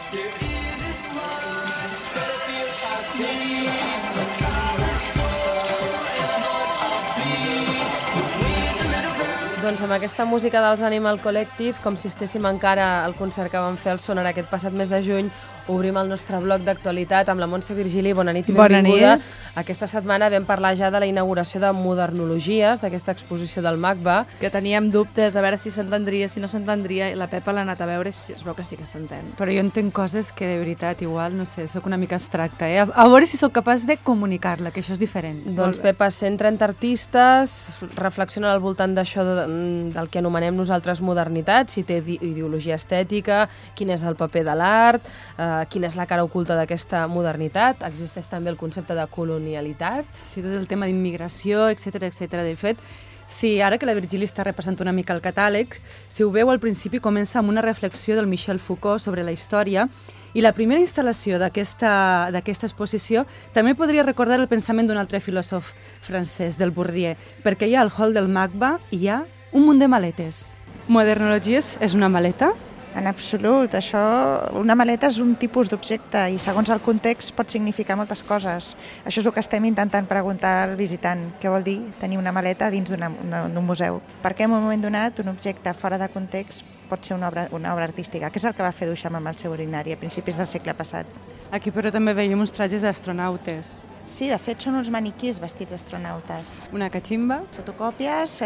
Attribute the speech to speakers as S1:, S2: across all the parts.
S1: Doncs amb aquesta música dels Animal Collective, com si estéssim encara al concert que vam fer al Sonar aquest passat mes de juny, obrim el nostre bloc d'actualitat amb la Montse Virgili. Bona nit i benvinguda. Aquesta setmana vam parlar ja de la inauguració de Modernologies, d'aquesta exposició del MACBA.
S2: Que teníem dubtes, a veure si s'entendria, si no s'entendria, i la Pepa l'ha anat a veure i es veu que sí que s'entén.
S3: Però jo entenc coses que de veritat igual, no sé, sóc una mica abstracta, eh? A veure si sóc capaç de comunicar-la, que això és diferent.
S1: Doncs Pepa, 130 artistes reflexionen al voltant d'això del que anomenem nosaltres modernitat, si té ideologia estètica, quin és el paper de l'art, quina és la cara oculta d'aquesta modernitat. Existeix també el concepte de colonialitat.
S3: Sí, tot el tema d'immigració, etc etc. De fet, sí, ara que la Virgili està repassant una mica el catàleg, si ho veu al principi comença amb una reflexió del Michel Foucault sobre la història, i la primera instal·lació d'aquesta exposició també podria recordar el pensament d'un altre filòsof francès, del Bourdieu, perquè hi ha al hall del MACBA i hi ha un munt de maletes. Modernologies és una maleta?
S4: En absolut. Una maleta és un tipus d'objecte i segons el context pot significar moltes coses. Això és el que estem intentant preguntar al visitant. Què vol dir tenir una maleta dins d'un museu? Per què en un moment donat un objecte fora de context pot ser una obra artística? Què és el que va fer Duchamp amb el seu urinari a principis del segle passat?
S3: Aquí però també veiem uns trajes d'astronautes.
S4: Sí, de fet són uns maniquís vestits d'astronautes.
S3: Una cachimba.
S4: Fotocòpies,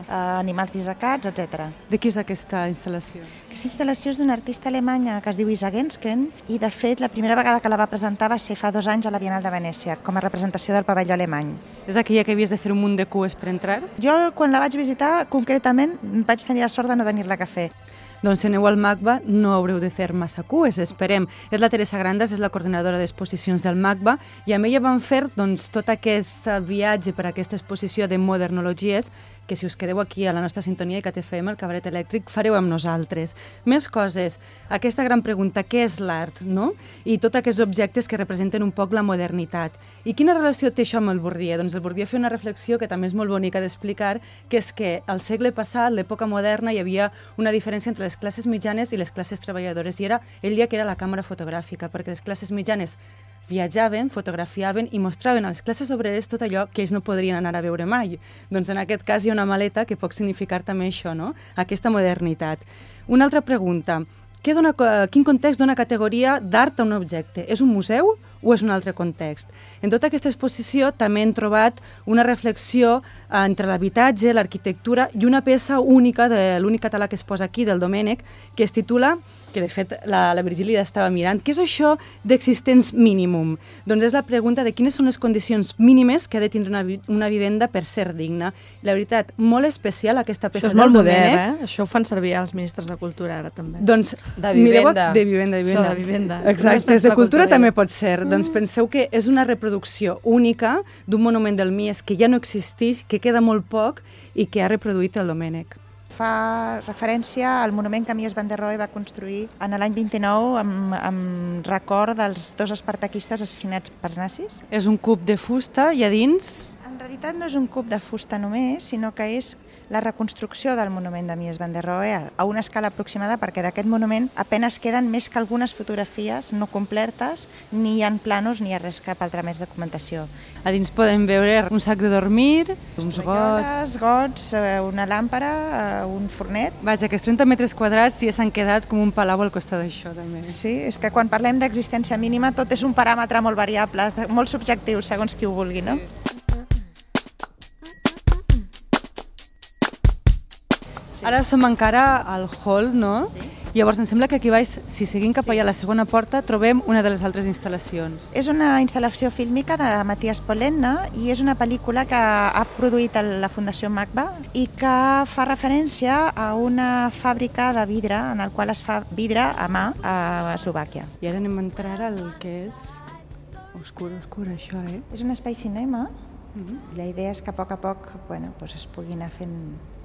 S4: animals dissecats, etc.
S3: De qui és aquesta instal·lació?
S4: Aquesta instal·lació és d'una artista alemanya que es diu Isa Gensken i, de fet, la primera vegada que la va presentar va ser fa 2 anys a la Bienal de Venècia, com a representació del pavelló alemany.
S3: És aquella que havies de fer un munt de cues per entrar?
S4: Jo, quan la vaig visitar, concretament, vaig tenir la sort de no tenir-la que fer.
S3: Doncs si aneu al MACBA no haureu de fer massa cues, esperem. És la Teresa Grandes, és la coordinadora d'exposicions del MACBA, i amb ella vam fer tot aquest viatge per aquesta exposició de Modernologies, que si us quedeu aquí a la nostra sintonia de CAT-FM, el Cabaret Elèctric, fareu amb nosaltres. Més coses, aquesta gran pregunta, què és l'art, no? I tots aquests objectes que representen un poc la modernitat. I quina relació té això amb el Bourdieu? Doncs el Bourdieu fa una reflexió que també és molt bonica d'explicar, que és que al segle passat, l'època moderna, hi havia una diferència entre les classes mitjanes i les classes treballadores, i ell deia que era la càmera fotogràfica, perquè les classes mitjanes viatjaven, fotografiaven i mostraven a les classes obreres tot allò que ells no podrien anar a veure mai. Doncs en aquest cas hi ha una maleta que pot significar també això, no? Aquesta modernitat. Una altra pregunta. Quin context dona categoria d'art a un objecte? És un museu o és un altre context? En tota aquesta exposició també hem trobat una reflexió entre l'habitatge, l'arquitectura i una peça única de l'únic català que es posa aquí, del Domènech, que es titula, que de fet la Virgili ja estava mirant, què és això d'existents mínimum? Doncs és la pregunta de quines són les condicions mínimes que ha de tindre una vivenda per ser digna. La veritat, molt especial aquesta peça del Domènech.
S2: Això és molt modern, Això ho fan servir els ministres de Cultura ara també.
S3: Doncs
S1: de vivenda.
S3: De vivenda.
S2: Això de vivenda.
S3: Exacte, des de cultura també pot ser. Doncs penseu que és una reproducció única d'un monument del Mies que ja no existeix, que queda molt poc i que ha reproduït el Domènech.
S4: Fa referència al monument que Mies van der Rohe va construir en l'any 29 amb record dels 2 espartaquistes assassinats pels nazis.
S3: És un cub de fusta i a dins...
S4: En realitat no és un cub de fusta només, sinó que és la reconstrucció del monument de Mies van der Rohe a una escala aproximada, perquè d'aquest monument apenas queden més que algunes fotografies no completes, ni hi ha planos ni hi ha res, cap altra més documentació.
S3: A dins podem veure un sac de dormir, uns
S4: gots, una làmpara, un fornet.
S3: Vaja, que els 30 metres quadrats ja s'han quedat com un palau al costat d'això, també.
S4: Sí, és que quan parlem d'existència mínima tot és un paràmetre molt variable, molt subjectiu, segons qui ho vulgui, no? Sí.
S3: Ara som encara al hall, no? Sí. Llavors, em sembla que aquí baix, si seguim cap allà a la segona porta, trobem una de les altres instal·lacions.
S4: És una instal·lació fílmica de Matthias Pollenna i és una pel·lícula que ha produït la Fundació MACBA i que fa referència a una fàbrica de vidre en el qual es fa vidre a mà a Eslovàquia.
S3: I ara anem a entrar al que és oscur, això, eh?
S4: És un espai cinema. La idea és que a poc es pugui anar fent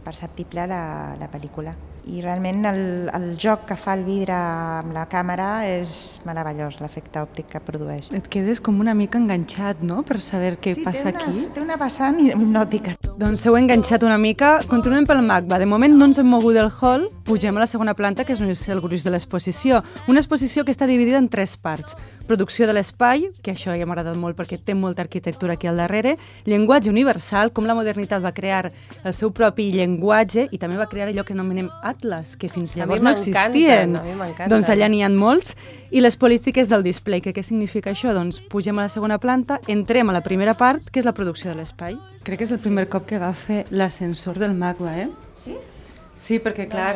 S4: perceptible la pel·lícula. I realment el joc que fa el vidre amb la càmera és meravellós, l'efecte òptic que produeix.
S3: Et quedes com una mica enganxat, no?, per saber què passa aquí.
S4: Sí, té una vessant hipnòtica.
S3: Doncs heu enganxat una mica. Continuem pel MACBA. De moment no ens hem mogut del hall, pugem a la segona planta, que és el gruix de l'exposició. Una exposició que està dividida en 3 parts. Producció de l'espai, que això ja m'ha agradat molt perquè té molta arquitectura aquí al darrere, llenguatge universal, com la modernitat va crear el seu propi llenguatge i també va crear allò que anomenem atlas, que fins llavors no existien.
S1: A mi m'encanten.
S3: Doncs allà n'hi ha molts. I les polítiques del display, que què significa això? Doncs pugem a la segona planta, entrem a la primera part, que és la producció de l'espai. Crec que és el primer cop que agafa l'ascensor del MACBA, eh?
S4: Sí?
S3: Sí, perquè clar,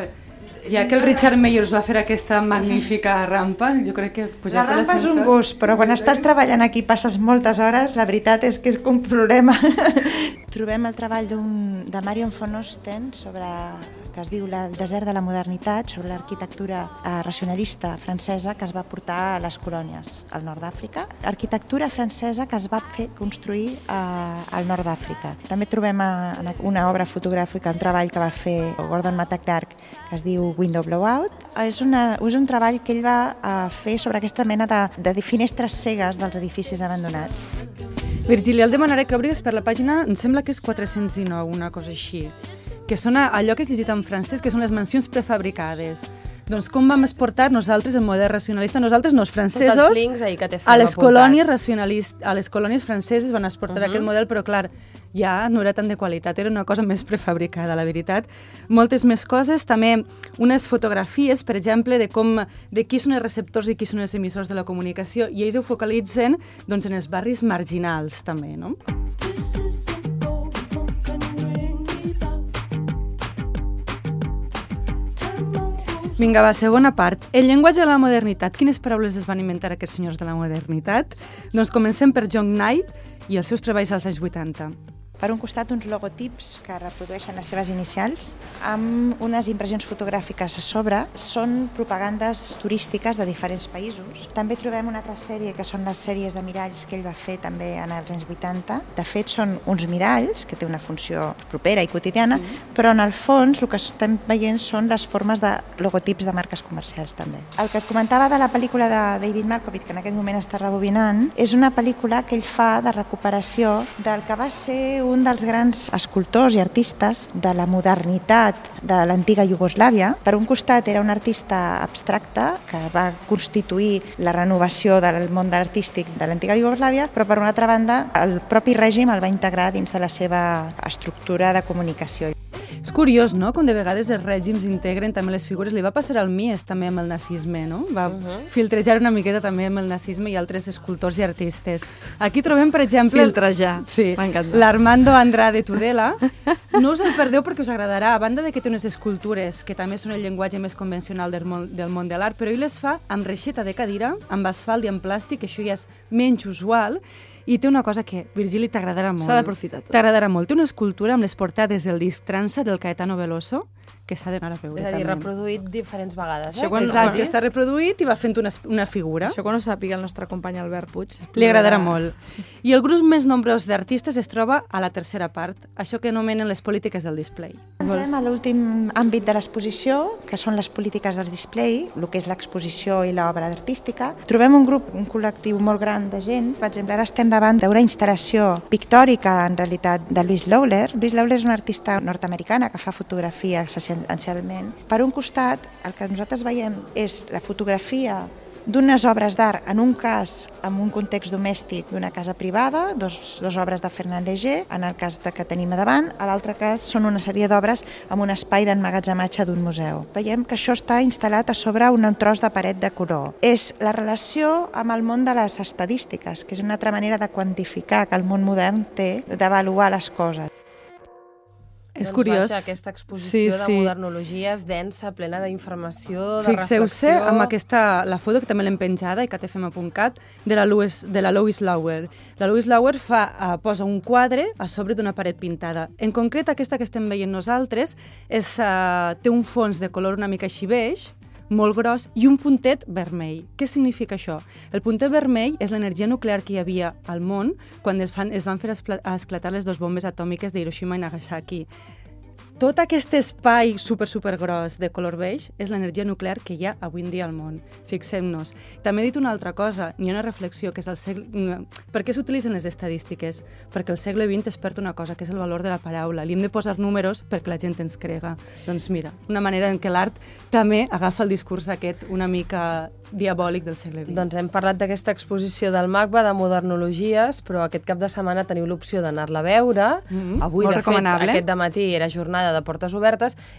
S3: ja que el Richard Meyers va fer aquesta magnífica rampa, jo crec que pujar per
S4: l'ascensor... La rampa és un
S3: l'ascensor...
S4: gust, però quan estàs treballant aquí passes moltes hores, la veritat és que és un problema. Trobem el treball de Marion von Osten que es diu El desert de la modernitat, sobre l'arquitectura racionalista francesa que es va portar a les colònies al nord d'Àfrica. Arquitectura francesa que es va fer construir al nord d'Àfrica. També trobem una obra fotogràfica, un treball que va fer Gordon Matta-Clark, que es diu Window Blowout. És un treball que ell va fer sobre aquesta mena de finestres cegues dels edificis abandonats.
S3: Virgili, el demanaré que obris per la pàgina, em sembla que és 419, una cosa així, que són allò que és llegit en francès, que són les mansions prefabricades. Doncs com vam exportar nosaltres el model racionalista, nosaltres no, els francesos,
S1: tots els links ahí que té
S3: a les colònies racionalistes, a les colònies franceses van exportar aquest model, però clar, ja no era tant de qualitat, era una cosa més prefabricada, la veritat. Moltes més coses, també unes fotografies, per exemple, de qui són els receptors i qui són els emissors de la comunicació, i ells ho focalitzen doncs, en els barris marginals, també, no? Vinga, va, segona part. El llenguatge de la modernitat. Quines paraules es van inventar aquests senyors de la modernitat? Doncs comencem per John Knight i els seus treballs als anys 80.
S4: Per un costat, uns logotips que reprodueixen les seves inicials amb unes impressions fotogràfiques a sobre. Són propagandes turístiques de diferents països. També trobem una altra sèrie, que són les sèries de miralls que ell va fer també en els anys 80. De fet, són uns miralls, que té una funció propera i quotidiana, sí, però en el fons el que estem veient són les formes de logotips de marques comercials també. El que et comentava de la pel·lícula de David Markovic, que en aquest moment està rebobinant, és una pel·lícula que ell fa de recuperació del que va ser un dels grans escultors i artistes de la modernitat de l'antiga Iugoslàvia. Per un costat era un artista abstracte que va constituir la renovació del món artístic de l'antiga Iugoslàvia, però per una altra banda el propi règim el va integrar dins de la seva estructura de comunicació.
S3: És curiós, no?, com de vegades els règims integren també les figures. Li va passar al Mies també amb el nazisme, no? Va filtrejar una miqueta també amb el nazisme i altres escultors i artistes. Aquí trobem, per exemple...
S2: Filtrejar,
S3: sí,
S2: m'encanta.
S3: L'Armando Andrade Tudela. No us el perdeu perquè us agradarà. A banda de que té unes escultures que també són el llenguatge més convencional del món de l'art, però ell les fa amb reixeta de cadira, amb asfalt i amb plàstic, això ja és menys usual. I té una cosa que, Virgili, t'agradarà molt.
S2: S'ha d'aprofitar tot.
S3: T'agradarà molt. Té una escultura amb les portades del disc Transa del Caetano Veloso, que s'ha d'anar a veure.
S1: És a dir,
S3: també.
S1: reproduït diferents vegades.
S2: Això quan
S3: Exacte, està reproduït i va fent una figura.
S2: Això quan ho sàpiga el nostre company Albert Puig.
S3: Li agradarà molt. I el grup més nombrós d'artistes es troba a la tercera part, això que anomenen les polítiques del display.
S4: Entrem a l'últim àmbit de l'exposició, que són les polítiques del display, el que és l'exposició i l'obra artística. Trobem un col·lectiu molt gran de gent. Per exemple, ara estem davant d'una instal·lació pictòrica, en realitat, de Louise Lowler. Louise Lowler és una artista nord-americana que fa fotografia essencialment. Per un costat, el que nosaltres veiem és la fotografia d'unes obres d'art, en un cas amb un context domèstic d'una casa privada, dos obres de Fernand Léger, en el cas que tenim a davant, a l'altre cas són una sèrie d'obres amb un espai d'emmagatzematge d'un museu. Veiem que això està instal·lat a sobre un tros de paret de color. És la relació amb el món de les estadístiques, que és una altra manera de quantificar que el món modern té d'avaluar les coses.
S3: És curiós.
S1: Vaja, aquesta exposició de modernologia és densa, plena d'informació, de
S3: Fixeu-se
S1: reflexió...
S3: amb la foto, que també l'hem penjada, i KTFM.cat, de la Louise Lowler. La Louise Lowler posa un quadre a sobre d'una paret pintada. En concret, aquesta que estem veient nosaltres té un fons de color una mica així beix, molt gros, i un puntet vermell. Què significa això? El puntet vermell és l'energia nuclear que hi havia al món quan es van fer esclatar les dues bombes atòmiques d'Hiroshima i Nagasaki. tot aquest espai super gros de color beix és l'energia nuclear que hi ha avui en dia al món. Fixem-nos. També he dit una altra cosa, hi ha una reflexió, que és el segle... Per què s'utilitzen les estadístiques? Perquè el segle XX es perd una cosa, que és el valor de la paraula. Li hem de posar números perquè la gent ens crega. Doncs mira, una manera en què l'art també agafa el discurs aquest una mica diabòlic del segle XX.
S1: Doncs hem parlat d'aquesta exposició del MACBA de modernologies, però aquest cap de setmana teniu l'opció d'anar-la a veure. Avui,
S3: molt
S1: de fet, aquest dematí era jornada de portes obertes